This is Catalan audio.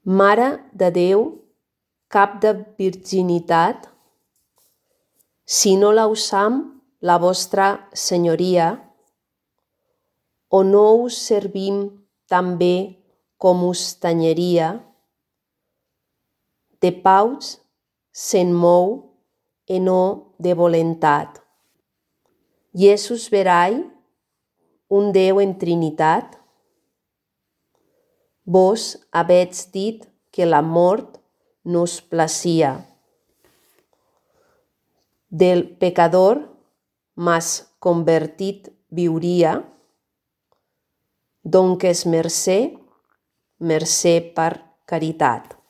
Mare de Déu, cap de virginitat, si no la usam la vostra senyoria, o no us servim tan bé com us tanyeria, de paus se'n mou e no de volentat. Iesus verai, un Déu en trinitat, vos avètz dit que la mort nos placia. Del pecador mas convertit viuria, donques mercè per caritat.